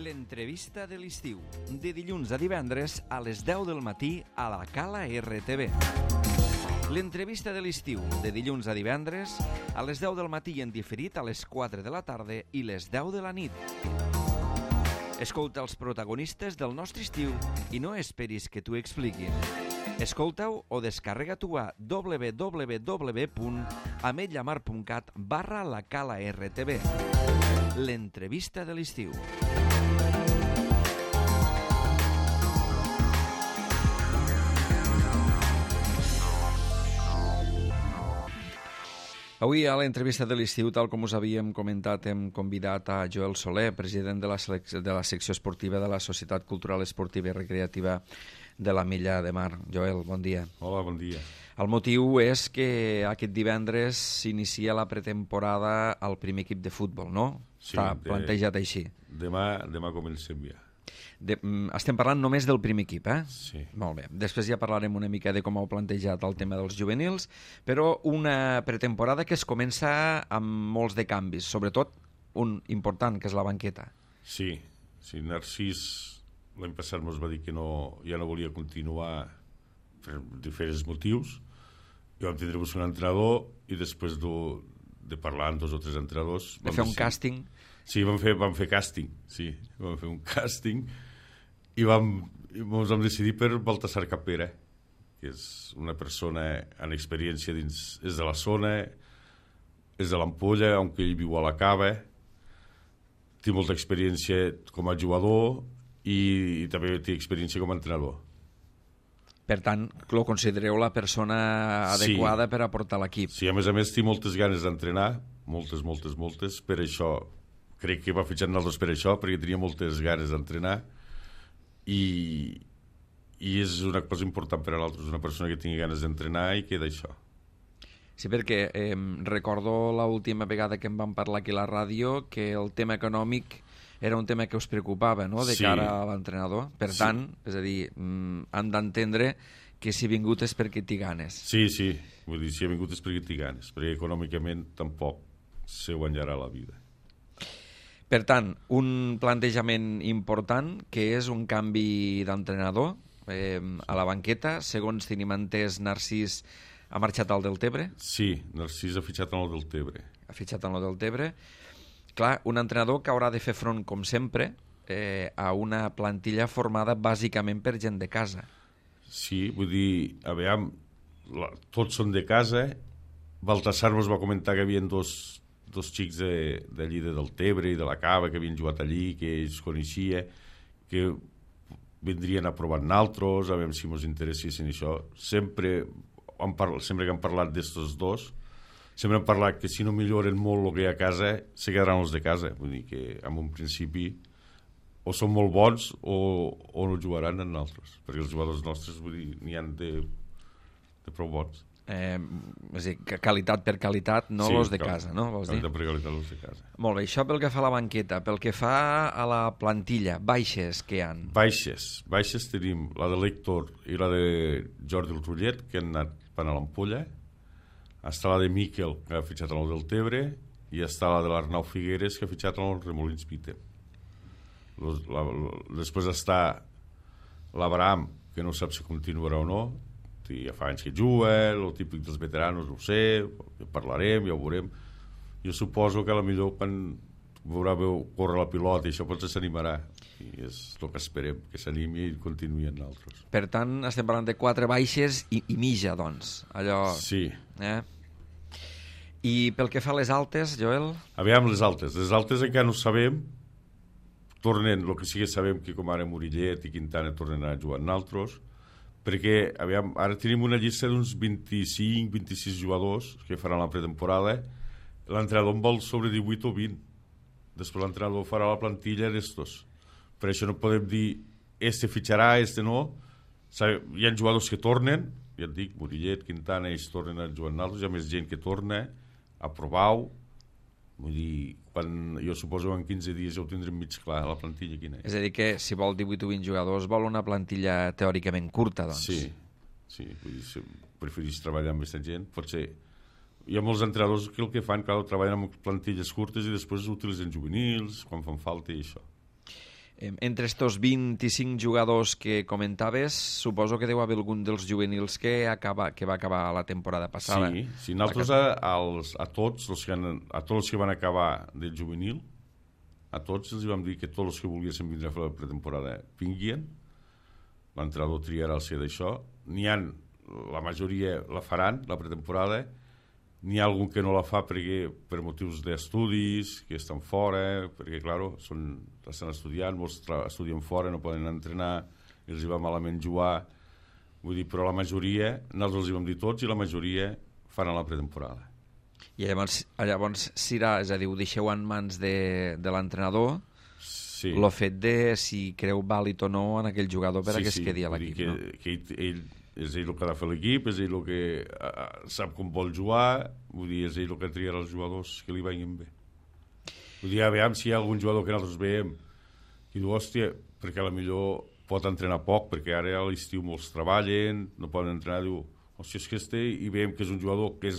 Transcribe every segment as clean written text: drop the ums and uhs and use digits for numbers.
L'entrevista de l'estiu, de dilluns a divendres a les 10 del matí a la Cala RTV. L'entrevista de l'estiu, de dilluns a divendres a les 10 del matí i en diferit a les 4 de la tarda i les 10 de la nit. Escolta els protagonistes del nostre estiu i no esperis que t'ho expliquin. Escolta-ho o descarrega-t'ho a www.ametlllamar.cat/la-cala-rtv. L'entrevista de l'estiu. Avui a l'entrevista de l'estiu, tal com us havíem comentat, hem convidat a Joel Soler, president de la secció esportiva de la Societat Cultural Esportiva i Recreativa de l'Ametlla de Mar. Joel, bon dia. Hola, bon dia. El motiu és que aquest divendres s'inicia la pretemporada al primer equip de futbol, no? Sí, està plantejat així. Demà comencem ja. Estem parlant només del primer equip, eh? Sí. Molt bé. Després ja parlarem una mica de com heu plantejat el tema dels juvenils, però una pretemporada que es comença amb molts de canvis, sobretot un important, que és la banqueta. Sí. Narcís l'any passat ens va dir que ja no volia continuar per diferents motius, i vam tindre un entrenador i després de parlar amb 2 o 3 entrenadors... De fer un càsting? Sí, vam fer càsting, sí. Vam fer un càsting i ens vam decidir per Baltasar Capera, que és una persona amb experiència dins... És de la zona, és de l'Ampolla, aunque ell viu a la Cava, té molta experiència com a jugador i també té experiència com a entrenador. Per tant, lo considereu la persona adequada per a portar l'equip. Sí, a més té moltes ganes d'entrenar, moltes, per això, crec que va fitxar nosaltres per això, perquè tenia moltes ganes d'entrenar i és una cosa important per a nosaltres, una persona que tingui ganes d'entrenar i que d'això. Sí, perquè recordo l'última vegada que em vam parlar aquí a la ràdio que el tema econòmic era un tema que us preocupava, no?, de cara a l'entrenador. Per tant, és a dir, han d'entendre que si ha vingut és perquè té ganes. Sí, vull dir, si ha vingut és perquè té ganes, perquè econòmicament tampoc se guanyarà la vida. Per tant, un plantejament important, que és un canvi d'entrenador a la banqueta. Segons tenim entès, Narcís ha marxat al Deltebre? Sí, Narcís ha fitxat en el Deltebre. Ha fitxat en el Deltebre. Clar, un entrenador que haurà de fer front, com sempre, a una plantilla formada bàsicament per gent de casa. Sí, vull dir, aviam, tots són de casa. Baltasar ens va comentar que hi havia dos xics d'allí de Deltebre i de la Cava que havien jugat allí, que ells coneixia, que vindrien a provar naltros, a veure si ens interessessin això. Sempre que han parlat d'estos dos, sempre han parlat que si no milloren molt el que hi ha a casa, se quedaran els de casa. Vull dir que en un principi o són molt bons o no jugaran en altres, perquè els jugadors nostres, vull dir, n'hi ha de prou bons. És a dir, qualitat per qualitat, no sí, els de casa, no? Vols dir? Qualitat per qualitat, els de casa. Molt bé, això pel que fa a la banqueta. Pel que fa a la plantilla, baixes que hi ha? Baixes tenim la de l'Héctor i la de Jordi el Rullet, que han anat a l'Ampolla. Està la de Miquel, que ha fitxat en el Deltebre, i està la de l'Arnau Figueres, que ha fitxat en el Remolins Vite. Després està l'Abraham, que no sap si continuarà o no, ja fa anys que juga, el típic dels veteranos, no ho sé, parlarem, ja ho veurem. Jo suposo que potser quan veurà córrer la pilota i això potser s'animarà, i és el que esperem, que s'animi i continuï en altres. Per tant, estem parlant de 4 baixes i mitja, doncs, allò... Sí. I pel que fa a les altes, Joel? Aviam, les altes encara no sabem, tornen, el que sí que sabem que com ara Murillet i Quintana tornen a jugar en altres, perquè, aviam, ara tenim una llista d'uns 25-26 jugadors que faran la pretemporada. L'entrenador en vol sobre 18 o 20. Després l'entrenador farà la plantilla d'estos. Per això no podem dir este fitxarà, este no. Hi ha jugadors que tornen, ja et dic, Murillet, Quintana, ells tornen a jugar en altres, hi ha més gent que torna a provar-ho. Vull dir, jo suposo que en 15 dies ja ho tindrem mig clar, la plantilla quina és. És a dir que si vol 18 o 20 jugadors vol una plantilla teòricament curta, doncs. Sí, vull dir, si preferís treballar amb aquesta gent, potser... Hi ha molts entrenadors que el que fan, clar, treballen amb plantilles curtes i després utilitzen juvenils, quan fan falta i això. Entre estos 25 jugadors que comentaves, suposo que deu haver algun dels juvenils que va acabar la temporada passada. Sí, nosaltres a tots els que van acabar del juvenil, a tots els vam dir que tots els que volguessin vindre a fer la pretemporada vinguien, l'entrenador triarà el ser d'això, la majoria la faran, la pretemporada, n'hi ha algun que no la fa per motius d'estudis, que estan fora, perquè, clar, estan estudiant, molts estudien fora, no poden entrenar, els hi va malament jugar, vull dir, però la majoria, nosaltres els hi vam dir tots, i la majoria faran la pretemporada. I llavors serà, és a dir, ho deixeu en mans de l'entrenador, sí. El fet de si creu vàlid o no en aquell jugador per a que es quedi a l'equip. No? Que ell és ell el que ha de fer l'equip, és ell el que sap com vol jugar, vull dir, és ell el que triarà els jugadors que li vagin bé. Vull dir, aviam si hi ha algun jugador que nosaltres veiem i diu, hòstia, perquè potser pot entrenar poc, perquè ara a l'estiu molts treballen, no poden entrenar, diu, hòstia, és que i veiem que és un jugador que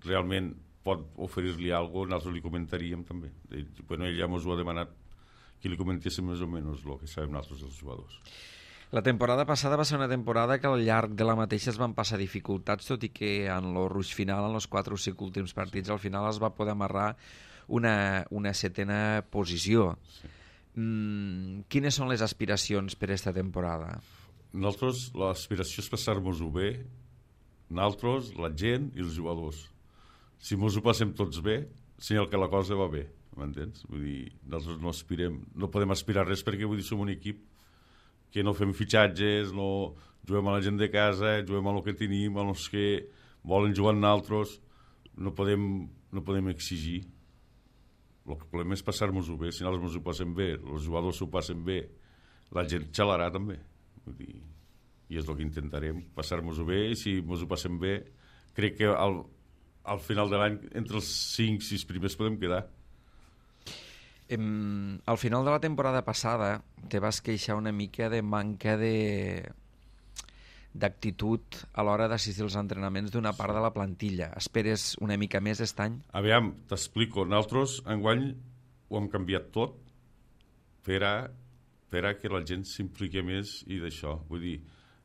realment pot oferir-li alguna cosa, nosaltres li comentaríem també. Bueno, ell ja ens ho ha demanat que li comentéssim més o menys el que sabem nosaltres dels jugadors. La temporada passada va ser una temporada que al llarg de la mateixa es van passar dificultats, tot i que en el ruix final, en els 4 o 5 últims partits, al final es va poder amarrar una setena posició. Sí. Quines són les aspiracions per aquesta temporada? Nosaltres, l'aspiració és passar-nos-ho bé, nosaltres, la gent i els jugadors. Si ens ho passem tots bé, senyal que la cosa va bé, m'entens? Vull dir, nosaltres no podem aspirar res perquè, vull dir, som un equip que no fem fitxatges, no juguem a la gent de casa, juguem a el que tenim, a els que volen jugar amb nosaltres, no podem exigir. El que volem és passar-nos-ho bé, si nosaltres ens ho passem bé, els jugadors s'ho passen bé, la gent xalarà també. Vull dir, i és el que intentarem, passar-nos-ho bé, i si ens ho passem bé, crec que al final de l'any, entre els 5-6 primers podem quedar. Al final de la temporada passada te vas queixar una mica de manca d'actitud a l'hora d'assistir als entrenaments d'una part de la plantilla. Esperes una mica més aquest any? Aviam, t'explico. Nosaltres enguany ho hem canviat tot per a que la gent s'impliqui més i d'això. Vull dir,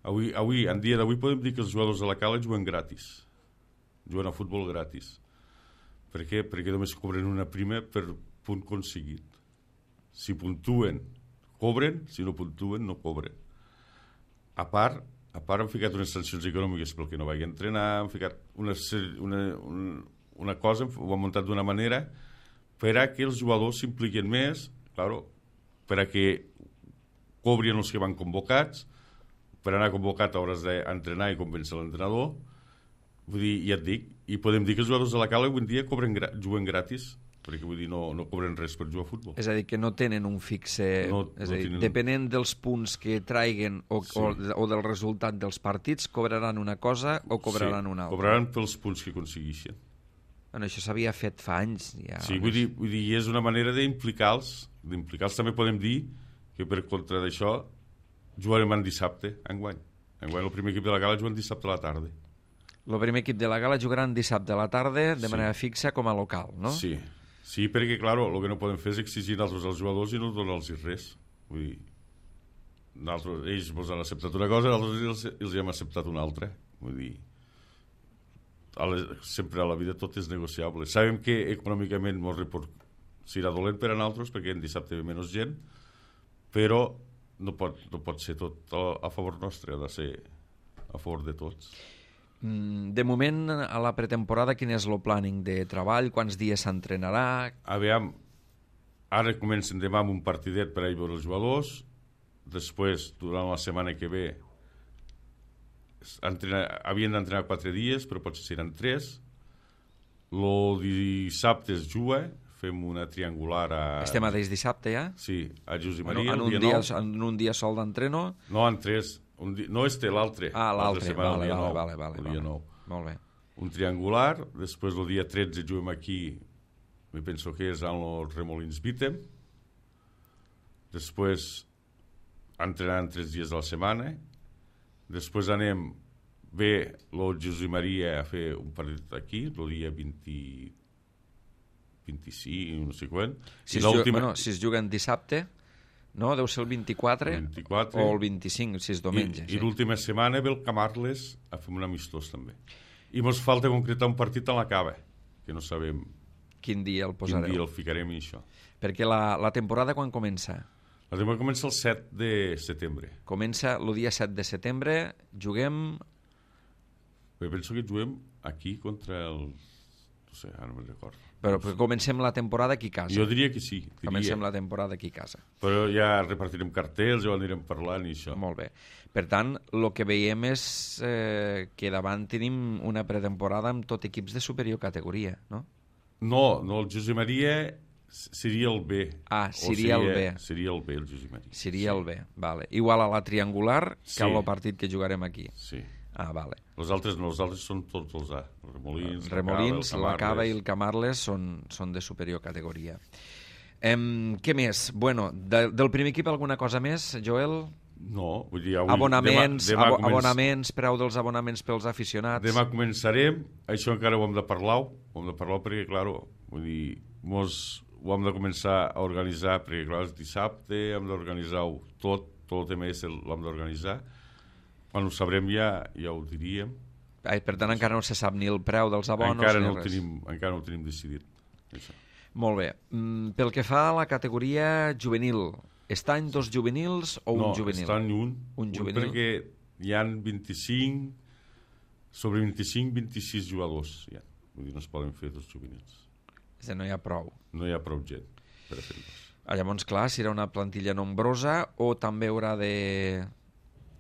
avui, en dia d'avui podem dir que els jugadors de la Cala juguen gratis. Juguen a futbol gratis. Per què? Perquè només cobren una prima per punt aconseguit. Si puntuen, cobren, si no puntuen, no cobren. A part hem ficat unes sancions econòmiques pel que no vagi a entrenar, hem ficat una cosa, ho hem muntat d'una manera per a que els jugadors s'impliquen més, claro, per a que cobrin els que van convocats, per anar convocat a hores d'entrenar i convèncer l'entrenador. Vull dir, ja et dic, i podem dir que els jugadors de la Cala avui en dia juguen gratis, perquè vull dir, no cobren res per jugar a futbol. És a dir, que no tenen un fixe... Depenent dels punts que traiguen o del resultat dels partits, cobraran una cosa o cobraran una altra. Cobraran pels punts que aconsegueixen. Bueno, això s'havia fet fa anys. Ja, sí, vull dir, és una manera d'implicar-los. També podem dir que per contra d'això jugarem en dissabte, enguany. Enguany el primer equip de la Gala juga en dissabte a la tarda. El primer equip de la Gala jugarà en dissabte a la tarda de manera fixa com a local, no? Sí, perquè, clar, el que no podem fer és exigir nosaltres als jugadors i no donar-los res. Vull dir, ells ens han acceptat una cosa, nosaltres els hem acceptat una altra. Vull dir, sempre a la vida tot és negociable. Sabem que econòmicament serà dolent per a nosaltres, perquè en dissabte ve menys gent, però no pot ser tot a favor nostre, ha de ser a favor de tots. De moment, a la pretemporada, quin és el planning de treball? Quants dies s'entrenarà? Aviam, ara comencen demà amb un partidet per a veure els jugadors, després, durant la setmana que ve, havien d'entrenar 4 dies, però potser seran 3. El dissabte es juga, fem una triangular a... Este mateix dissabte, ja? Sí, a Josep Maria. En un dia sol d'entreno? No, en 3. No l'altre. L'altre, vale. Molt bé. Un triangular, després el dia 13 juguem aquí, me penso que és en el Remolins Vítem, després entrenant 3 dies a la setmana, després anem bé el Josep Maria a fer un partit aquí, el dia 25, no sé quan. Si es juguen dissabte, no? Deu ser el 24, el 24 o el 25, si és diumenge. I l'última setmana ve el Camarles a fer un amistós també. I mos falta concretar un partit a la Cava, que no sabem quin dia el posareu. Quin dia el ficarem i això. Perquè la temporada quan comença? La temporada comença el 7 de setembre. Comença el dia 7 de setembre, juguem... Jo penso que juguem aquí contra el... No sé, ara no me'n recordo. Però comencem la temporada aquí a casa. Jo diria que sí. Comencem la temporada aquí a casa. Però ja repartirem cartells, ja ho anirem parlant i això. Molt bé. Per tant, el que veiem és que davant tenim una pretemporada amb tot equips de superior categoria, no? No, el Josep Maria seria el B. Ah, seria el B. Seria el B, el Josep Maria. Seria el B, vale. Igual a la triangular que el partit que jugarem aquí. Sí. Ah, vale. Els altres no, els altres són tots els A. Els Remolins, la Cava i el Camarles són de superior categoria. Què més? Bueno, del primer equip alguna cosa més, Joel? No, vull dir... Avui, abonaments, preu dels abonaments pels aficionats... Demà començarem, això encara ho hem de parlar, perquè, clar, vull dir, ho hem de començar a organitzar, perquè, clar, és dissabte, hem d'organitzar-ho tot el tema l'hem d'organitzar. Quan ho sabrem ja ho diríem. Per tant, encara no se sap ni el preu dels abonos encara no ho tenim decidit. Això. Molt bé. Pel que fa a la categoria juvenil, està en dos juvenils o un juvenil? No, està en un juvenil. Perquè hi ha 25, sobre 25-26 jugadors. Ja. Vull dir, no es poden fer dos juvenils. És a dir, no hi ha prou. No hi ha prou gent per a fer dos. Llavors, clar, serà una plantilla nombrosa o també haurà de...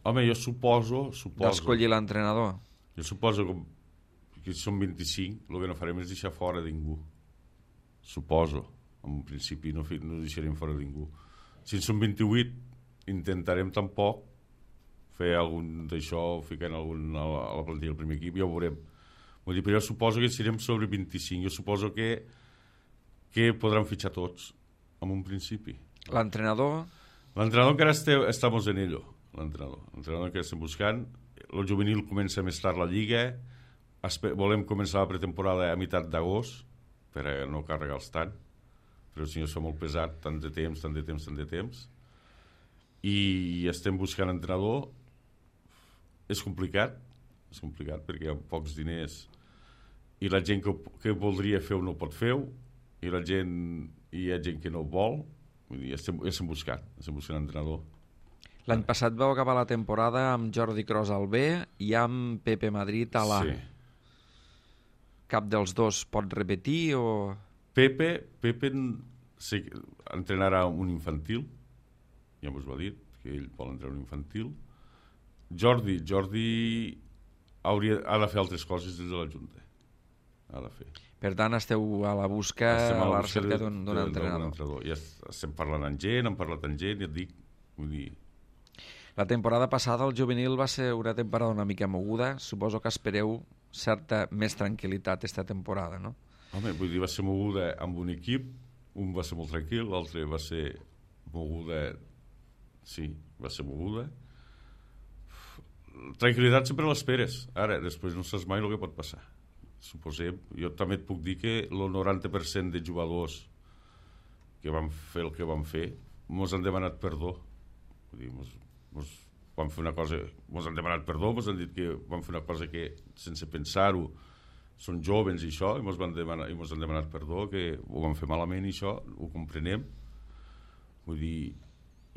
Home, jo suposo... D'escollir l'entrenador. Jo suposo que si són 25, el que no farem és deixar fora ningú. Suposo. En principi no deixarem fora ningú. Si en són 28, intentarem tampoc fer algun d'això, ficar a la plantilla del primer equip, ja ho veurem. Vull dir, però jo suposo que serem sobre 25. Jo suposo que podran fitxar tots, en un principi. L'entrenador? L'entrenador encara estamos en ello. L'entrenador que estem buscant. El juvenil comença més tard la lliga. Volem començar la pretemporada a meitat d'agost per a no carregar-los tant. Però si no és molt pesat, tant de temps. I estem buscant entrenador. És complicat perquè hi ha pocs diners i la gent que voldria fer-ho no pot fer-ho i hi ha gent que no vol. Vull dir, estem buscant entrenador. L'any passat vau acabar la temporada amb Jordi Cros al B i amb Pepe Madrid a l'A. Sí. Cap dels dos pot repetir o...? Pepe entrenarà un infantil, ja m'ho va dir, que ell vol entrenar un infantil. Jordi ha de fer altres coses des de la Junta. Ha de fer. Per tant, esteu a la la recerca d'un entrenador. Ja estem parlant amb gent, hem parlat amb gent, ja et dic, vull dir... La temporada passada el juvenil va ser una temporada una mica moguda. Suposo que espereu certa més tranquil·litat esta temporada, no? Home, vull dir, va ser moguda amb un equip, un va ser molt tranquil, l'altre va ser moguda... Sí, va ser moguda. Tranquil·litat sempre l'esperes. Ara, després no saps mai el que pot passar. Suposem, jo també et puc dir que el 90% de jugadors que van fer el que van fer mos han demanat perdó. Vull dir, van fer una cosa, mos han demanat perdó, mos han dit que van fer una cosa que sense pensar-ho són jovens i això, i mos han demanat perdó, que ho van fer malament i això, ho comprenem. Vull dir,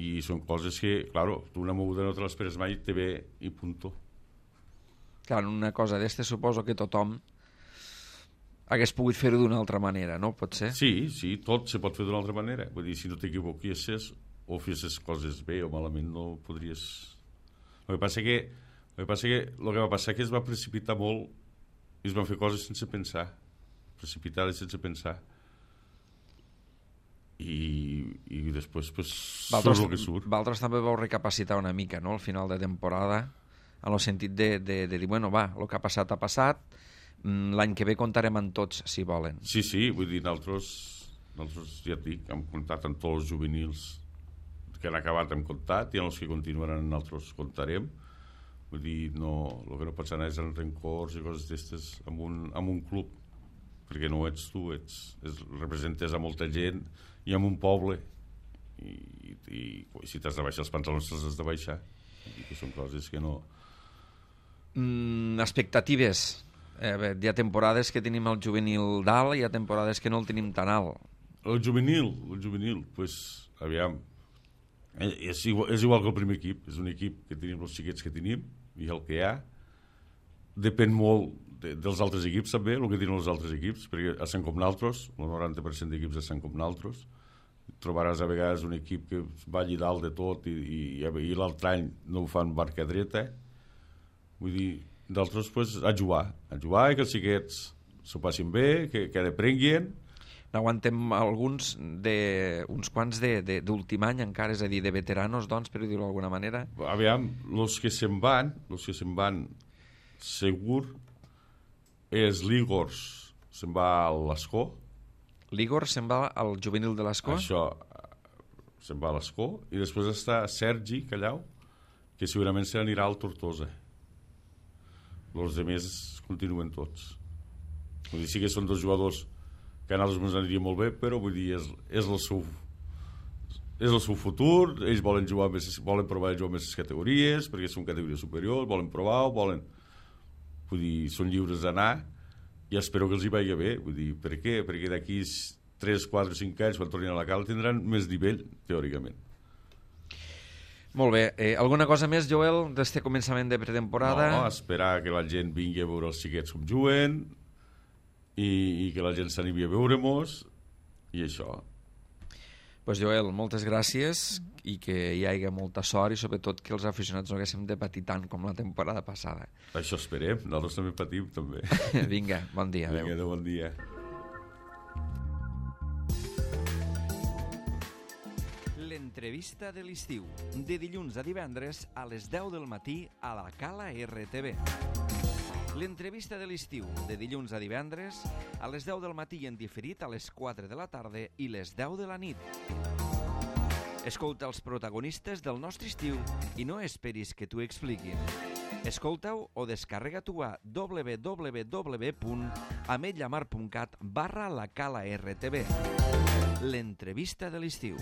i són coses que, claro, tu una moguda no te l'esperes mai, te ve i punto. Clar, una cosa d'este suposo que tothom hagués pogut fer-ho d'una altra manera, no? Pot ser? Sí, tot se pot fer d'una altra manera. Vull dir, si no t'equivoquies o fessis coses bé o malament no podries... El que passa que el que va passar que es va precipitar molt i es van fer coses sense pensar, precipitades sense pensar, i després pues, surt el que surt. Vosaltres també vau recapacitar una mica, no?, al final de temporada, en el sentit de dir, bueno, va, el que ha passat, l'any que ve comptarem amb tots, si volen. Sí, vull dir, nosaltres ja et dic, hem comptat amb tots els juvenils que han acabat, hem comptat, i en els que continuaran nosaltres comptarem. Vull dir, el que no pots anar és en rencors i coses d'estes amb un club, perquè no ets tu, representes a molta gent i en un poble, i si t'has de baixar els pantalons t'has de baixar. I que són coses que no... Expectatives. Hi ha temporades que tenim el juvenil dalt, hi ha temporades que no el tenim tan alt. El juvenil, pues, aviam, és igual que el primer equip, és un equip que tenim els xiquets que tenim i el que hi ha. Depèn molt dels altres equips també, el que tenen els altres equips, perquè estan com naltros, el 90% d'equips estan com naltros. Trobaràs a vegades un equip que va allà dalt de tot i l'altre any no ho fan barca dreta. Vull dir, d'altres, pues, a jugar i que els xiquets s'ho passin bé, que aprenguin. N'aguantem alguns uns quants d'últim any encara, és a dir, de veteranos, doncs, per dir-ho d'alguna manera. Aviam, els que se'n van segur és l'Igor, se'n va a l'Escó. L'Igor se'n va al juvenil de l'Escó? Això, se'n va a l'Escó. I després està Sergi Callau, que segurament se n'anirà al Tortosa. Els altres continuen tots. Vull dir, sí que són dos jugadors que a nosaltres ens aniria molt bé, però vull dir, és el seu futur, ells volen provar de jugar més categories, perquè són categories superiors, volen provar, vull dir, són lliures d'anar, i espero que els hi vagi bé. Vull dir, per què? Perquè d'aquí 3, 4, 5 anys, quan tornin a la cala, tindran més nivell, teòricament. Molt bé. Alguna cosa més, Joel, d'este començament de pretemporada? No, esperar que la gent vingui a veure els xiquets com juguen i que la gent s'animi a veure-mos i això. Pues Joel, moltes gràcies i que hi hagi molta sort i sobretot que els aficionats no haguéssim de patir tant com la temporada passada. Això esperem, nosaltres també patim també. Vinga, bon dia. Vinga, bon dia. L'entrevista de l'estiu, de dilluns a divendres a les 10 del matí a la Cala RTV. L'entrevista de l'estiu, de dilluns a divendres a les 10 del matí en diferit a les 4 de la tarda i les 10 de la nit. Escolta els protagonistes del nostre estiu i no esperis que t'ho expliquin. Escolta-ho o descarrega-t'ho a www.ametlllamar.cat/la Cala RTV. L'entrevista de l'estiu.